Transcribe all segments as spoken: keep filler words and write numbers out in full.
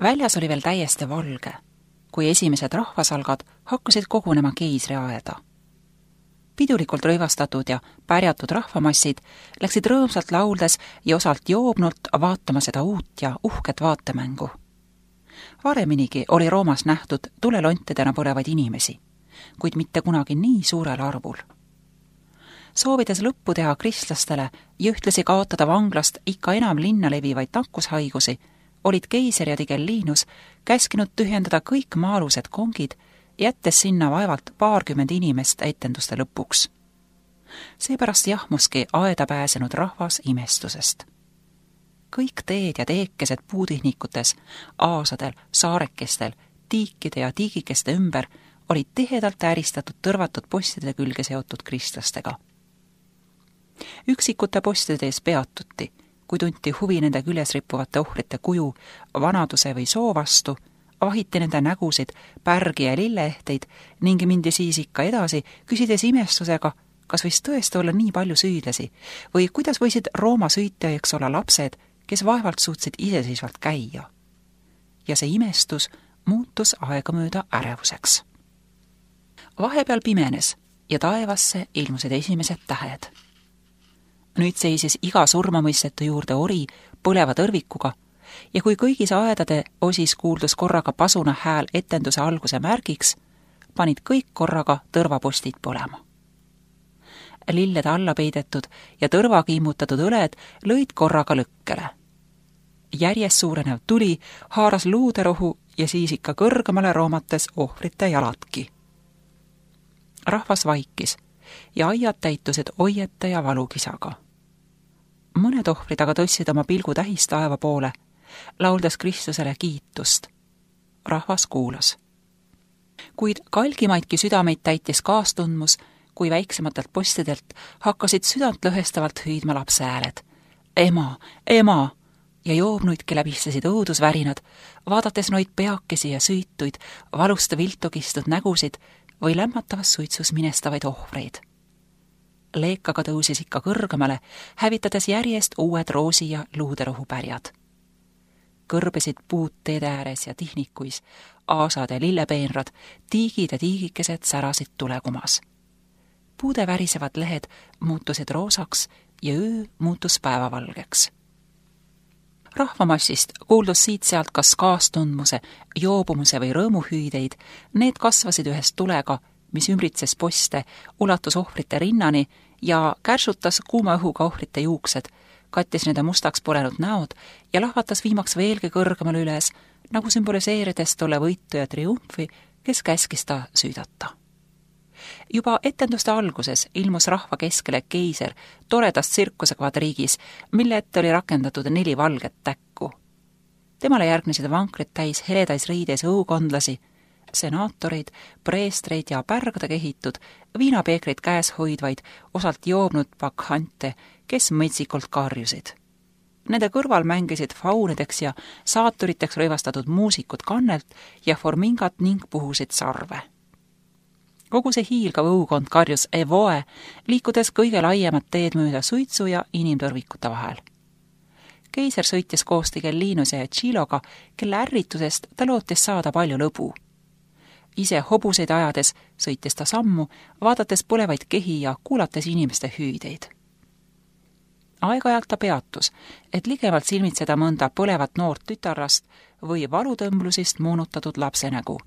Väljas oli veel täiesti valge, kui esimesed rahvasalgad hakkasid kogunema keisriaeda. Pidulikult rõivastatud ja pärjatud rahvamassid läksid rõõmsalt lauldes ja osalt joobnult vaatama seda uut ja uhket vaatemängu. Vareminigi oli Roomas nähtud tulelontidena põlevaid inimesi, kuid mitte kunagi nii suurel arvul. Soovides lõppu teha kristlastele ja ühtlasi kaotada vanglast ikka enam linna levivaid nakkushaigusi, olid keiser ja Tigellinus käskinud tühjendada kõik maalused kongid, jättes sinna vaevalt paarkümmend inimest etenduste lõpuks. Seepärast jahmuski aeda pääsenud rahvas imestusest. Kõik teed ja teekesed puutihnikutes, aasadel, saarekestel, tiikide ja tiigikeste ümber olid tihedalt ääristatud tõrvatud postide külge seotud kristlastega. Üksikute postide ees peatuti, kui tunti huvi nende küljes rippuvate ohvrite kuju, vanaduse või soo vastu, vahiti nende nägusid, pärgi ja lilleehteid ning mindi siis ikka edasi, küsides imestusega, kas võis tõesti olla nii palju süüdlasi või kuidas võisid Rooma süütajaks olla lapsed, kes vaevalt suutsid iseseisvalt käia. Ja see imestus muutus aegamööda ärevuseks. Vahepeal pimenes ja taevasse ilmusid esimesed tähed. Nüüd seisis iga surmamõistetu juurde ori põleva tõrvikuga ja kui kõigis aedade osis kuuldus korraga pasuna hääl etenduse alguse märgiks, panid kõik korraga tõrvapostid põlema. Lillede alla peidetud ja tõrvaga immutatud õled lõid korraga lõkkele. Järjest suurenev tuli haaras luuderohu ja siis ikka kõrgemale roomates ohvrite jaladki. Rahvas vaikis ja aiad täitusid oiete ja valukisaga. Mõned ohvrid aga tõstsid oma pilgu tähistaeva poole, lauldes Kristusele kiitust. Rahvas kuulas. Kuid kalgimaidki südameid täitis kaastundmus, kui väiksematelt postidelt hakkasid südant lõhestavalt hüüdma lapse hääled. Ema, ema! Ja joobnuidki läbistasid õudusvärinad, vaadates noid peakesi ja süütuid, valusta viltu kistud nägusid või lämmatavas suitsus minestavaid ohvreid. Leekaga tõusis ikka kõrgemale, hävitades järjest uued roosi ja luuderohu pärjad. Kõrbesid puud teede ääres ja tihnikuis, aasad ja lillepeenrad, tiigid ja tiigikesed särasid tulekumas. Puude värisevad lehed muutusid roosaks ja öö muutus päevavalgeks. Rahvamassist kuuldus siit-sealt kas kaastundmuse, joobumuse või rõõmuhüüdeid, need kasvasid ühest tulega, mis ümbritses poste, ulatus ohvrite rinnani ja kärsutas kuuma õhuga ohvrite juuksed, kattis nende mustaks põlenud näod ja lahvatas viimaks veelgi kõrgemal üles, nagu sümboliseerides tolle võitu ja triumfi, kes käskis ta süüdata. Juba etenduste alguses ilmus rahva keskele keiser toredast tsirkuse kvadriigis, mille ette oli rakendatud neli valget täkku. Temale järgnesid vankrid täis heledais riides õukondlasi, senaatoreid, preestreid ja pärgade kehitud, viinapeekreid käes hoidvaid, osalt joobnud bakhante, kes mõtsikult karjusid. Nende kõrval mängisid faunideks ja saaturiteks rõivastatud muusikud kannelt ja formingat ning puhusid sarve. Kogu see hiilgav õukond karjus evoe, liikudes kõige laiemat teed mööda suitsu ja inimtõrvikute vahel. Keiser sõitis koos Tigellinuse ja Chiloga, kelle ärritusest ta lootis saada palju lõbu. Ise hobuseid ajades sõitis ta sammu, vaadates põlevaid kehi ja kuulates inimeste hüüdeid. Aeg-ajalt ta peatus, et ligemalt silmitseda mõnda põlevat noort tütarrast või valutõmblusist moonutatud lapse nägu.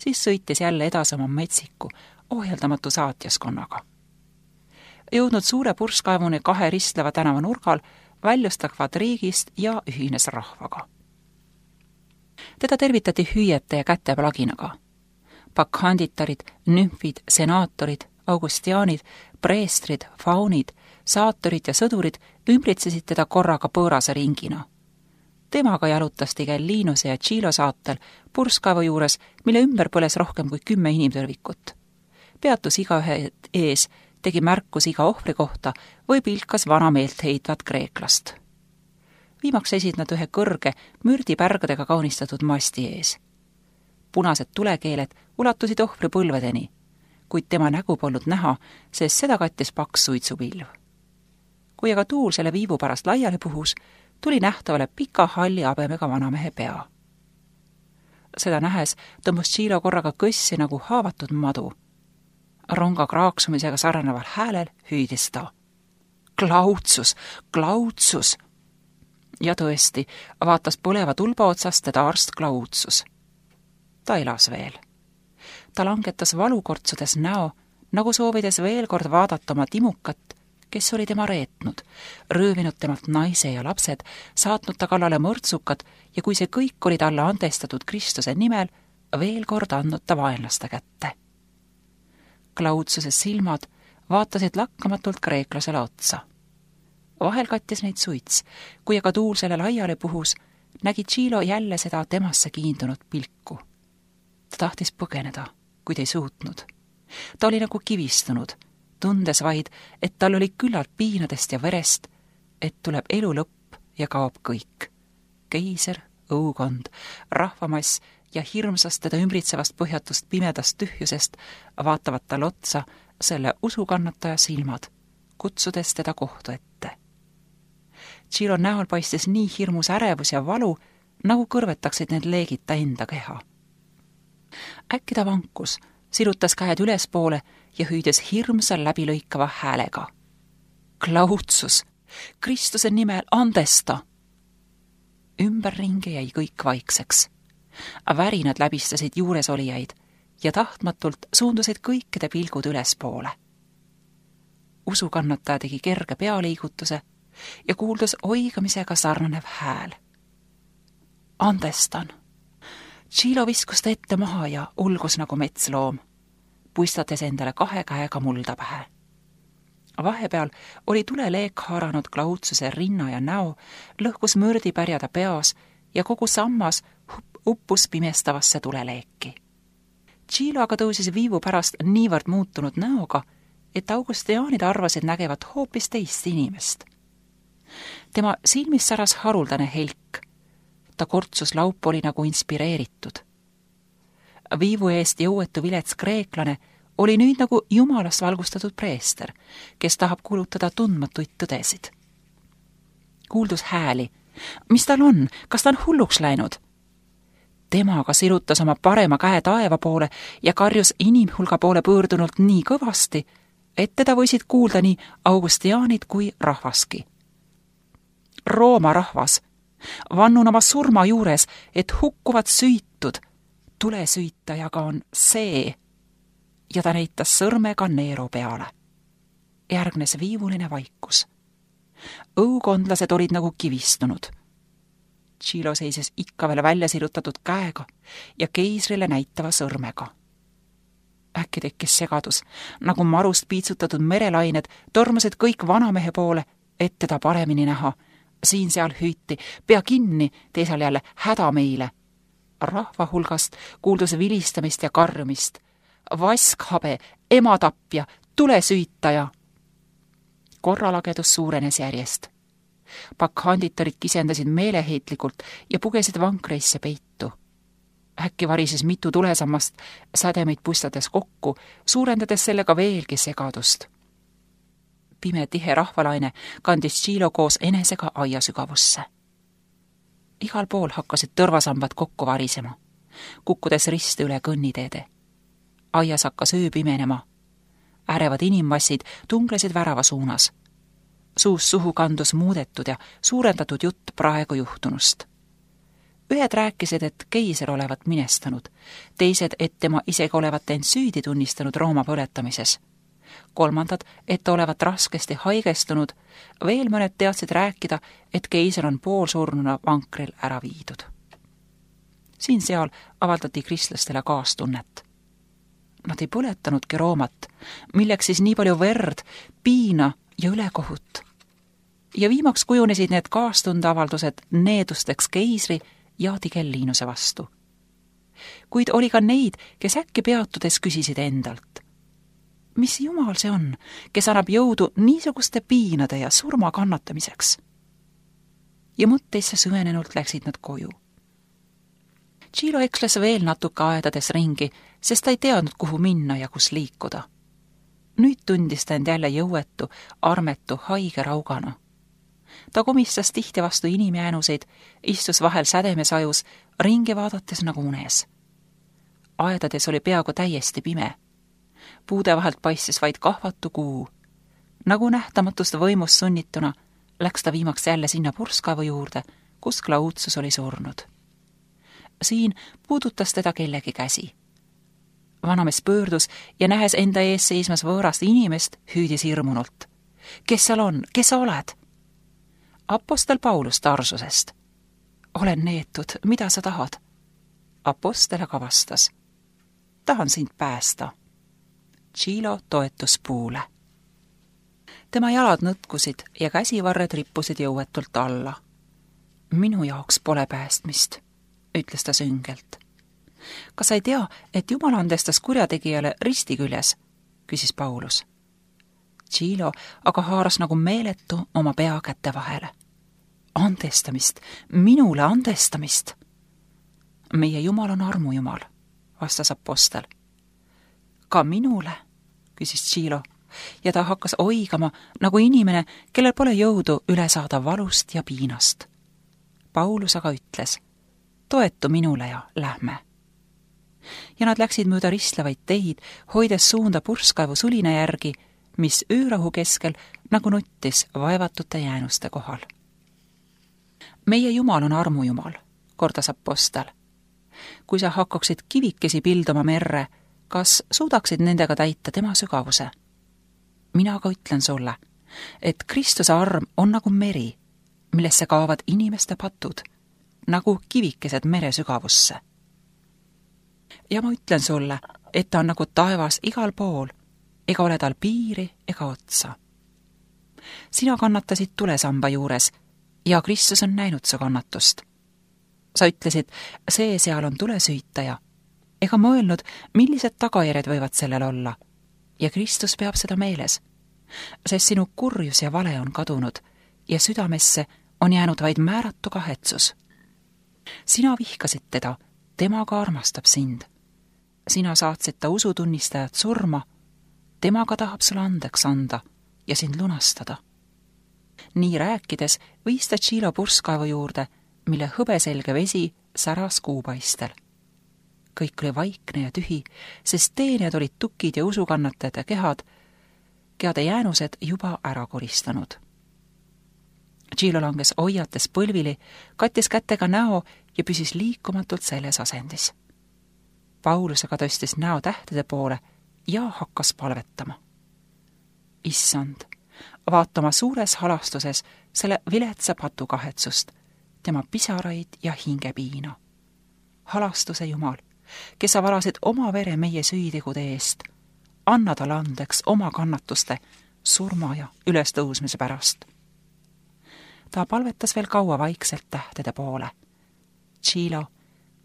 Siis sõitis jälle edasi oma metsiku, ohjeldamatu saatjaskonnaga. Jõudnud suure purskkaevuni kahe ristleva tänava nurgal, väljus ta kvadriigist ja ühines rahvaga. Teda tervitati hüüete ja käteplaginaga. Bakhanditarid, nümfid, senaatorid, augustiaanid, preestrid, faunid, saatorid ja sõdurid ümbritsesid teda korraga pöörase ringina. Temaga jalutas Tigellinuse ja Chilo saatel purskkaevu juures, mille ümber põles rohkem kui kümme inimtõrvikut. Peatus igaühe ees, tegi märkus iga ohvri kohta või pilkas vana meelt heitvat kreeklast. Viimaks esid nad ühe kõrge, mürdipärgadega kaunistatud masti ees. Punased tulekeeled ulatusid ohvri põlvedeni, kuid tema nägu polnud näha, sest seda kattis paks suitsupilv. Kui aga tuul selle viivu pärast laiali puhus, tuli nähtavale pika halli habemega vanamehe pea. Seda nähes tõmbus Tšilo korraga kõssi nagu haavatud madu. Ronga kraaksumisega sarnaneval häälel hüüdis ta. Klautsus, Klautsus! Ja tõesti, vaatas põleva tulba otsast teda arst Klautsus. Ta elas veel. Ta langetas valukortsudes näo, nagu soovides veel kord vaadata oma timukat, kes oli tema reetnud, röövinud temalt naise ja lapsed, saatnud ta kallale mõrtsukad ja kui see kõik oli talle andestatud Kristuse nimel, veel kord andnud ta vaenlaste kätte. Klautsuse silmad vaatasid lakkamatult kreeklasele otsa. Vahel kattis neid suits, kui aga tuul selle laiale puhus, nägi Tšilo jälle seda temasse kiindunud pilku. Ta tahtis põgeneda, kuid ei suutnud. Ta oli nagu kivistunud, tundes vaid, et tal oli küllalt piinadest ja verest, et tuleb elu lõpp ja kaob kõik. Keiser, õukond, rahvamass ja hirmsast teda ümbritsevast põhjatust pimedast tühjusest vaatavad tal otsa selle usukannataja silmad, kutsudes teda kohtu ette. Tšilo näol paistis nii hirmus ärevus ja valu, nagu kõrvetaksid need leegid ta enda keha. Äkki ta vankus, sirutas käed ülespoole ja hüüdes hirmsal läbilõikava häälega. Klautsus, Kristuse nimel andesta! Ümberringi jäi kõik vaikseks. Värinad läbistasid juuresolijaid ja tahtmatult suundusid kõikide pilgud ülespoole. Usukannataja tegi kerge pealiigutuse ja kuuldus oigamisega sarnanev hääl. Andestan! Tšilo viskus ta ette maha ja ulgus nagu metsloom, puistates endale kahe käega mulda pähe. Vahepeal oli tuleleek haaranud Klautsuse rinna ja näo, lõhkus mõrdipärjada peas ja kogu sammas uppus pimestavasse tuleleeki. Tšilo aga tõusis viivu pärast niivõrd muutunud näoga, et augustiaanid arvasid nägevat hoopis teist inimest. Tema silmis säras haruldane helk. Ta kortsus laup oli nagu inspireeritud. Viivu eest jõuetu vilets kreeklane oli nüüd nagu jumalast valgustatud preester, kes tahab kuulutada tundmatuid tõdesid. Kuuldus hääli. Mis tal on? Kas ta on hulluks läinud? Temaga sirutas oma parema käe taeva poole ja karjus inimhulga poole pöördunult nii kõvasti, et teda võisid kuulda nii augustiaanid kui rahvaski. Rooma rahvas! Vannun oma surma juures, et hukkuvad süütud. Tulesüütajaga on see. Ja ta näitas sõrmega Neero peale. Järgnes viivuline vaikus. Õukondlased olid nagu kivistunud. Tšilo seises ikka veel välja sirutatud käega ja keisrile näitava sõrmega. Äkki tekkis segadus, nagu marust piitsutatud merelained tormasid kõik vanamehe poole, et teda paremini näha. Siin seal hüüti, pea kinni, teisal jälle häda meile. Rahva hulgast kuuldus vilistamist ja karjumist. Vaskhabe, ematapja, tulesüütaja. Korralagedus suurenes järjest. Bakkhanditarid kisendasid meeleheitlikult ja pugesid vankreisse peitu. Äkki varises mitu tulesammast sädemeid pustades kokku, suurendades sellega veelgi segadust. Pime tihe rahvalaine kandis Tšilo koos enesega aia sügavusse. Igal pool hakkasid tõrvasambad kokku varisema, kukkudes risti üle kõnniteede. Aias hakkas öö pimenema. Ärevad inimmassid tunglesid värava suunas. Suus suhu kandus muudetud ja suurendatud jutt praegu juhtunust. Ühed rääkisid, et keiser olevat minestanud, teised, et tema isegi olevat end süüdi tunnistanud Rooma põletamises. Kolmandad, et olevat raskesti haigestunud, veel mõned teadsid rääkida, et keiser on poolsurnuna vankril ära viidud. Siin-seal avaldati kristlastele kaastunnet. Nad ei põletanudki Roomat, milleks siis nii palju verd, piina ja ülekohut. Ja viimaks kujunesid need kaastundeavaldused needusteks keisri ja Tigellinuse vastu. Kuid oli ka neid, kes äkki peatudes küsisid endalt. Mis jumal see on, kes annab jõudu niisuguste piinade ja surma kannatamiseks? Ja mõtteisse süvenenult läksid nad koju. Tšilo eksles veel natuke aedades ringi, sest ta ei teadnud, kuhu minna ja kus liikuda. Nüüd tundis ta end jälle jõuetu, armetu, haige raugana. Ta komistas tihti vastu inimjäänuseid, istus vahel sädemesajus, ringi vaadates nagu unes. Aedades oli peaaegu täiesti pime. Puude vahelt paistis vaid kahvatu kuu. Nagu nähtamatust võimust sunnituna läks ta viimaks jälle sinna purskkaevu juurde, kus Klaudsus oli surnud. Siin puudutas teda kellegi käsi. Vanamees pöördus ja nähes enda ees seismas võõrast inimest, hüüdis hirmunult. Kes seal on? Kes sa oled? Apostel Paulus Tarsusest. Olen neetud, mida sa tahad? Apostel aga vastas. Tahan sind päästa. Tšilo toetus puule. Tema jalad nõtkusid ja käsivarred rippusid jõuetult alla. Minu jaoks pole päästmist, ütles ta süngelt. Kas sa ei tea, et Jumal andestas kurjategijale risti küljes, küsis Paulus. Tšilo aga haaras nagu meeletu oma pea kätte vahele. Andestamist, minule andestamist. Meie Jumal on armujumal, vastas apostel. Ka minule, küsis Tšilo, ja ta hakkas oigama nagu inimene, kellel pole jõudu üle saada valust ja piinast. Paulus aga ütles, toetu minule ja lähme. Ja nad läksid mööda ristlevaid teid, hoides suunda purskkaevu sulina järgi, mis öörahu keskel nagu nuttis vaevatute jäänuste kohal. Meie Jumal on armujumal, kordas apostel. Kui sa hakkaksid kivikesi pilduma merre, kas suudaksid nendega täita tema sügavuse? Mina aga ütlen sulle, et Kristuse arm on nagu meri, millesse kaovad inimeste patud, nagu kivikesed mere sügavusse. Ja ma ütlen sulle, et ta on nagu taevas igal pool, ega ole tal piiri ega otsa. Sina kannatasid tulesamba juures ja Kristus on näinud su kannatust. Sa ütlesid, see seal on tulesüütaja, ega mõelnud, millised tagajärjed võivad sellel olla. Ja Kristus peab seda meeles, sest sinu kurjus ja vale on kadunud ja südamesse on jäänud vaid määratu kahetsus. Sina vihkasid teda, temaga armastab sind. Sina saatsid ta usutunnistajad surma, temaga tahab sulle andeks anda ja sind lunastada. Nii rääkides viis ta Tšilo purskkaevu juurde, mille hõbeselge vesi säras kuupaistel. Kõik oli vaikne ja tühi, sest teenijad olid tukid ja usukannatajate kehad, kehade jäänused juba ära koristanud. Tšilo langes hoiates põlvili, kattis kätega näo ja püsis liikumatult selles asendis. Paulus aga tõstis näo tähtede poole ja hakkas palvetama. Issand, vaata oma suures halastuses selle viletsa patu kahetsust, tema pisaraid ja hingepiina. Halastuse Jumal, kes sa valasid oma vere meie süütegude eest, anna talle andeks oma kannatuste, surma ja ülestõusmise pärast. Ta palvetas veel kaua vaikselt tähtede poole. Tšilo,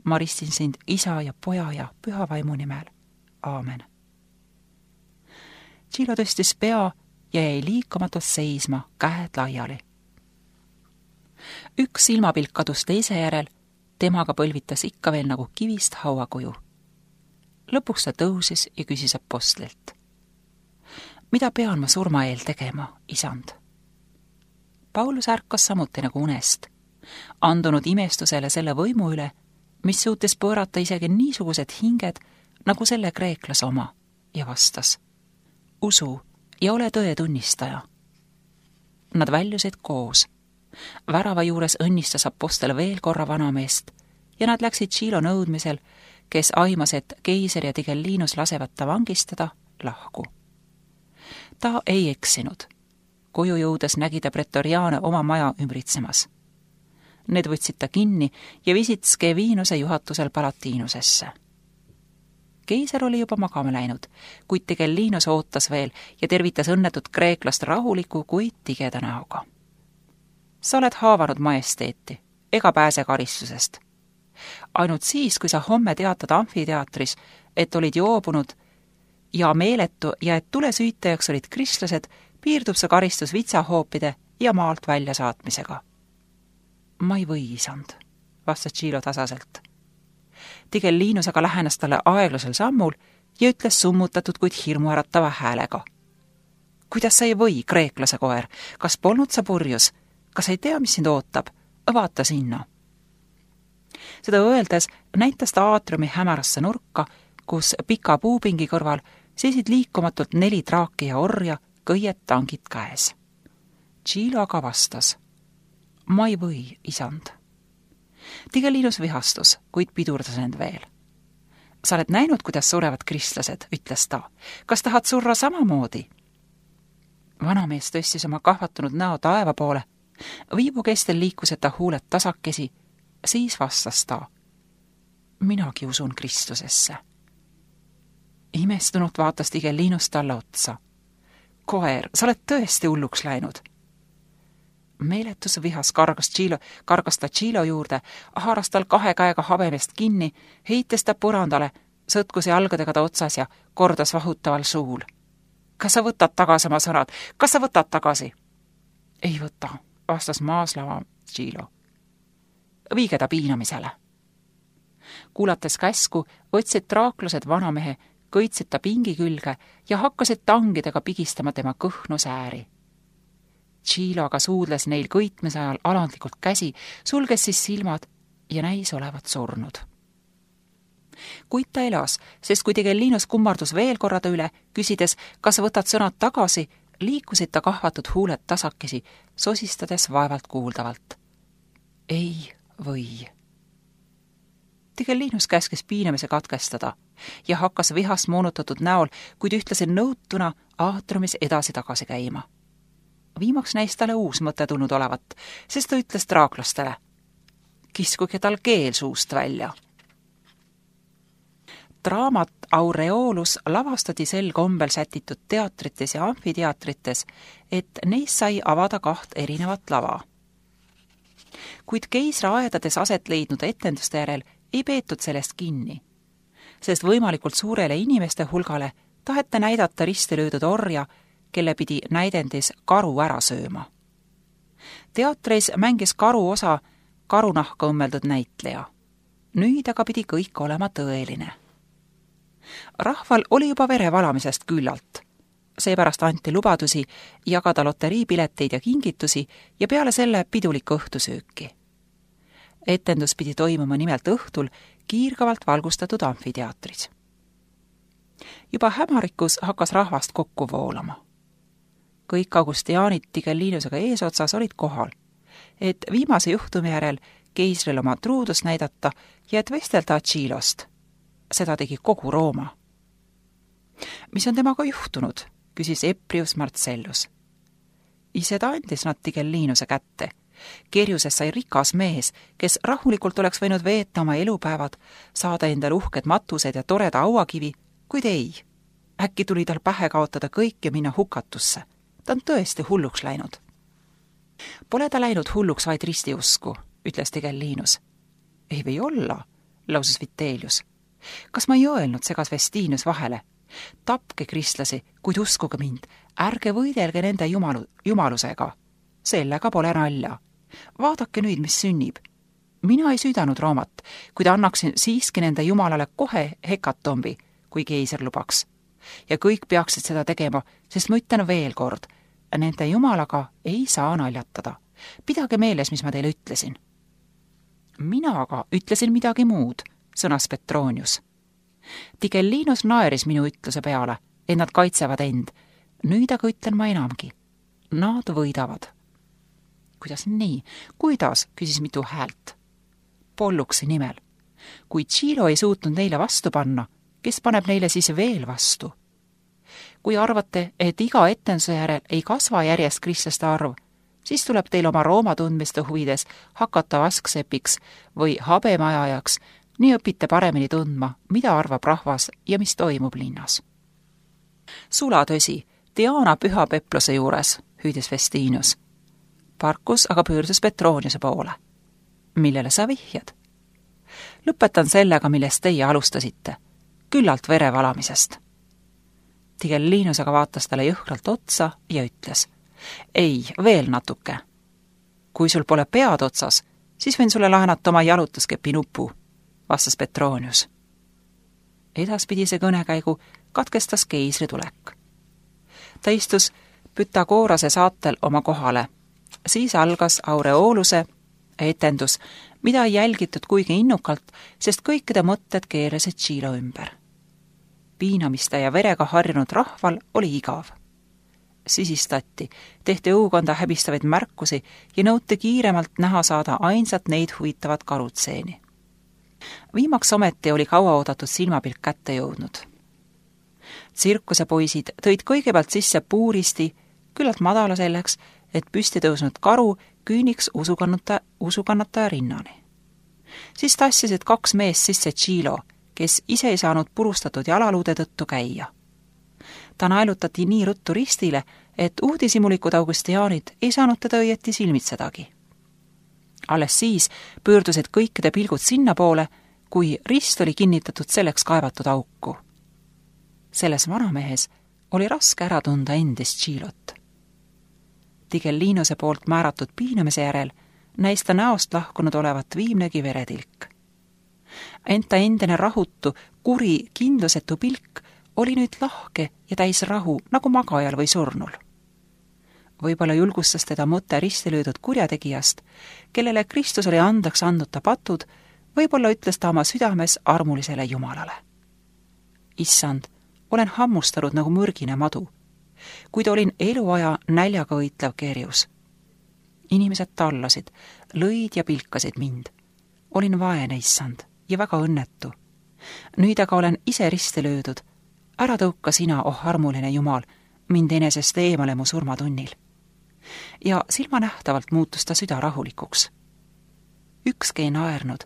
ma ristin sind isa ja poja ja püha vaimu nimel. Aamen. Tšilo tõstis pea ja jäi liikumatult seisma, käed laiali. Üks silmapilk kadus teise järel, temaga põlvitas ikka veel nagu kivist hauakuju. Lõpuks ta tõusis ja küsis apostlilt. Mida pean ma surma eel tegema, isand? Paulus ärkas samuti nagu unest, andunud imestusele selle võimu üle, mis suutis pöörata isegi niisugused hinged nagu selle kreeklase oma, ja vastas. Usu ja ole tõe tunnistaja. Nad väljusid koos. Värava juures õnnistas apostel veel korra vanameest ja nad läksid Tšilo nõudmisel, kes aimas, et keiser ja Tigellinus lasevad ta vangistada, lahku. Ta ei eksinud. Koju jõudes nägi ta pretoriaane oma maja ümbritsemas. Need võtsid ta kinni ja visid Skevinuse juhatusel Palatiinusesse. Keiser oli juba magama läinud, kuid Tigellinus ootas veel ja tervitas õnnetut kreeklast rahuliku, kuid tigeda näoga. Sa oled haavanud majesteeti, ega pääse karistusest. Ainult siis, kui sa homme teatad amfiteatris, et olid joobunud ja meeletu ja et tulesüütajaks olid kristlased, piirdub sa karistus vitsahoopide ja maalt välja saatmisega. Ma ei või, isand, vastas Tšilo tasaselt. Tigellinus aga lähenes talle aeglasel sammul ja ütles summutatud, kuid hirmuäratava häälega. Kuidas sa ei või, kreeklase koer, kas polnud sa purjus? kas ei tea, mis sind ootab? Vaata sinna. Seda öeldes näitas ta aatriumi hämarasse nurka, kus pika puupingi kõrval seisid liikumatult neli traaki ja orja, kõied tangid käes. Tšilo aga vastas: ma ei või, isand. Tigellinus vihastus, kuid pidurdas end veel. Sa oled näinud, kuidas surevad kristlased, ütles ta. Kas tahad surra samamoodi? Vanamees tõstis oma kahvatunud näo taeva poole. Viibu kestel liikusid ta huuled tasakesi, siis vastas ta: minagi usun Kristusesse. Imestunult vaatas Tigellinus talle otsa. Koer, sa oled tõesti hulluks läinud. Meeletus vihas kargas, Tšilo, kargas ta Tšilo juurde, haaras tal kahe käega habemest kinni, heites ta põrandale, sõtkus jalgadega ta otsas ja kordas vahutaval suul. Kas sa võtad tagasi oma sõnad? Kas sa võtad tagasi? Ei võta, vastas maaslava Tšilo. Viige ta piinamisele. Kuulates käsku, võtsid traaklused vanamehe, kõitsid ta pingi külge ja hakkasid tangidega pigistama tema kõhnu sääri. Tšilo aga suudles neil kõitmise ajal alandlikult käsi, sulges siis silmad ja näis olevat surnud. Kuid ta elas, sest kui Tigellinus kummardus veel korrada üle, küsides, kas võtad sõnad tagasi, liikusid ta kahvatud huuled tasakesi, sosistades vaevalt kuuldavalt. Ei või. Tigellinus käskis piinamise katkestada ja hakkas vihast moonutatud näol, kuid ühtlasi nõutuna aatriumis edasi-tagasi käima. Viimaks näis talle uus mõte tulnud olevat, sest ta ütles traaklastele: kiskuge tal keel suust välja. Draamat Aureolus lavastati sel kombel sätitud teatrites ja amfiteatrites, et neis sai avada kaht erinevat lava. Kuid keisra aedades aset leidnud etenduste järel ei peetud sellest kinni, sest võimalikult suurele inimeste hulgale taheti näidata risti löödud orja, kelle pidi näidendis karu ära sööma. Teatris mängis karu osa karunahka õmmeldud näitleja. Nüüd aga pidi kõik olema tõeline. Rahval oli juba verevalamisest küllalt. Seepärast anti lubadusi jagada loteriipileteid ja kingitusi ja peale selle pidulikku õhtusööki. Etendus pidi toimuma nimelt õhtul kiirgavalt valgustatud amfiteatris. Juba hämarikus hakkas rahvast kokku voolama. Kõik augustiaanid Tigellinusega eesotsas olid kohal, et viimase juhtumi järel keisril oma truudust näidata ja et vestelda Tšilost. Seda tegi kogu Rooma. Mis on temaga juhtunud, küsis Eprius Marcellus. Ise ta andis nad Tigellinuse kätte. Kerjuses sai rikas mees, kes rahulikult oleks võinud veeta oma elupäevad, saada endale uhked matused ja toreda auakivi, kuid ei. Äkki tuli tal pähe kaotada kõik ja minna hukatusse. Ta on tõesti hulluks läinud. Pole ta läinud hulluks vaid ristiusku, ütles Tigellinus. Ei või olla, lausus Vitellius. Kas ma ei öelnud, segas Vestinus vahele? Tapke kristlasi, kuid uskuge mind, ärge võidelge nende jumalu, jumalusega. Sellega pole nalja. Vaadake nüüd, mis sünnib. Mina ei süüdanud Roomat, kuid annaksin siiski nende jumalale kohe hekatombi, kui keiser lubaks. Ja kõik peaksid seda tegema, sest ma ütlen veel kord, nende jumalaga ei saa naljatada. Pidage meeles, mis ma teile ütlesin. Mina aga ütlesin midagi muud, sõnas Petronius. Tigellinus naeris minu ütluse peale, et nad kaitsevad end. Nüüd aga ütlen ma enamgi. Nad võidavad. Kuidas nii? Kuidas? Küsis mitu häält. Polluksi nimel. Kui Tšilo ei suutnud neile vastu panna, kes paneb neile siis veel vastu? Kui arvate, et iga etenduse järel ei kasva järjest kristlaste arv, siis tuleb teil oma Rooma tundmiste huvides hakata vasksepiks või habemajajaks, nii õpite paremini tundma, mida arvab rahvas ja mis toimub linnas. Sulatõsi, Diana püha pepluse juures, hüüdis Vestinus. Parkus aga pöördus Petroniuse poole. Millele sa vihjad? Lõpetan sellega, millest teie alustasite. Küllalt verevalamisest. Tigellinus aga vaatas talle jõhkralt otsa ja ütles: ei, veel natuke. Kui sul pole pead otsas, siis võin sulle laenata oma jalutuskepi nupu, vastas Petronius. Edaspidise kõnekäigu katkestas keisri tulek. Ta istus Pythagorase saatel oma kohale Siis algas Aureoluse etendus, mida ei jälgitud kuigi innukalt, sest kõikide mõtted keerasid Tšilo ümber. Piinamiste ja verega harjunud rahval oli igav. Sisistati, tehti õukonda häbistavaid märkusi ja nõuti kiiremalt näha saada ainsat neid huvitavat karutseeni. Viimaks ometi oli kauaoodatud silmapilk kätte jõudnud. Tsirkuse poisid tõid kõigepealt sisse puuristi, küllalt madala selleks, et püsti tõusnud karu küüniks usukannata, usukannataja rinnani. Siis tassisid kaks meest sisse Tšilo, kes ise ei saanud purustatud jalaluude tõttu käia. Ta naelutati nii ruttu ristile, et uudisimulikud augustiaanid ei saanud teda õieti silmitsedagi. Alles siis pöördusid kõikide pilgud sinna poole, kui rist oli kinnitatud selleks kaevatud auku. Selles vanamehes oli raske ära tunda endist Tšilot. Tigellinuse poolt määratud piinamise järel näis ta näost lahkunud olevat viimnegi veretilk. Ent ta endine rahutu, kuri, kindlusetu pilk oli nüüd lahke ja täis rahu, nagu magajal või surnul. Võib-olla julgustas teda mõte risti löödud kurjategijast, kellele Kristus oli andeks andnud ta patud, võib-olla ütles ta oma südames armulisele Jumalale. Issand, olen hammustanud nagu mürgine madu, kuid olin eluaja näljaga võitlev kerjus. Inimesed tallasid, lõid ja pilkasid mind. Olin vaene, issand, ja väga õnnetu. Nüüd aga olen ise risti löödud. Ära tõuka sina, oh armuline Jumal, mind enesest eemale mu surmatunnil. Ja silmanähtavalt muutus ta süda rahulikuks. Ükski ei naernud,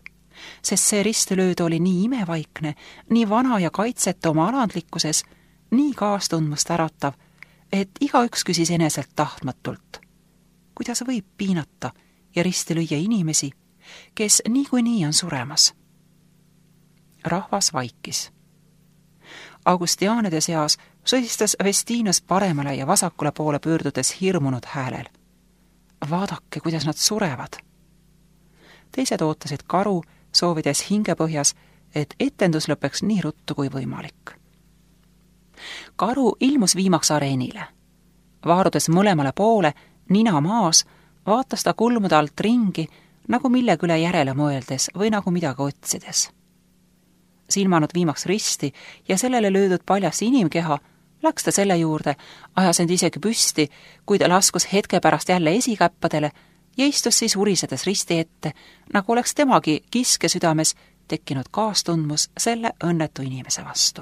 sest see ristilööd oli nii imevaikne, nii vana ja kaitsetu oma alandlikkuses, nii kaastundmust äratav, et igaüks küsis eneselt tahtmatult. Kuidas võib piinata ja risti lüüa inimesi, kes niikuinii on suremas? Rahvas vaikis. Augustiaanide seas sõistas Vestiinus paremale ja vasakule poole pöördudes hirmunud häälel. Vaadake, kuidas nad surevad. Teised ootasid karu, soovides hingepõhjas, et etendus lõpeks nii ruttu kui võimalik. Karu ilmus viimaks areenile. Vaarudes mõlemale poole, nina maas, vaatas ta kulmude alt ringi, nagu millegi üle järele mõeldes või nagu midagi otsides. Silmanud viimaks risti ja sellele löödud paljas inimkeha, läks ta selle juurde, ajas end isegi püsti, kuid laskus hetke pärast jälle esikäppadele ja istus siis urisedes risti ette, nagu oleks temagi kiske südames tekkinud kaastundmus selle õnnetu inimese vastu.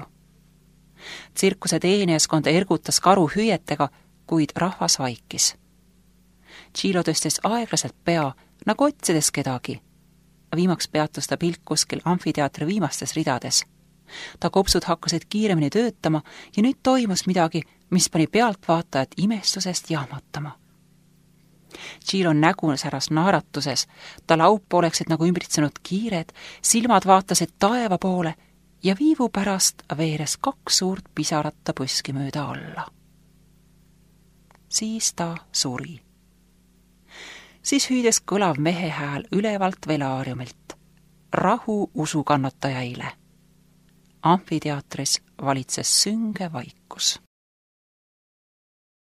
Tsirkuse teenijaskond ergutas karu hüüetega, kuid rahvas vaikis. Tšilo tõstis aeglaselt pea, nagu otsides kedagi. Viimaks peatus ta pilk kuskil amfiteatri viimastes ridades. Ta kopsud hakkasid kiiremini töötama ja nüüd toimus midagi, mis pani pealtvaatajat imestusest jahmatama. Tšilo nägu säras naaratuses, ta laup oleksid nagu ümbritsenud kiired, silmad vaatasid taeva poole ja viivu pärast veeres kaks suurt pisaratta põski mööda alla. Siis ta suri. Siis hüüdes kõlav mehe hääl ülevalt velaariumilt. Rahu usukannatajaile. Amfiteatris valitses sünge vaikus.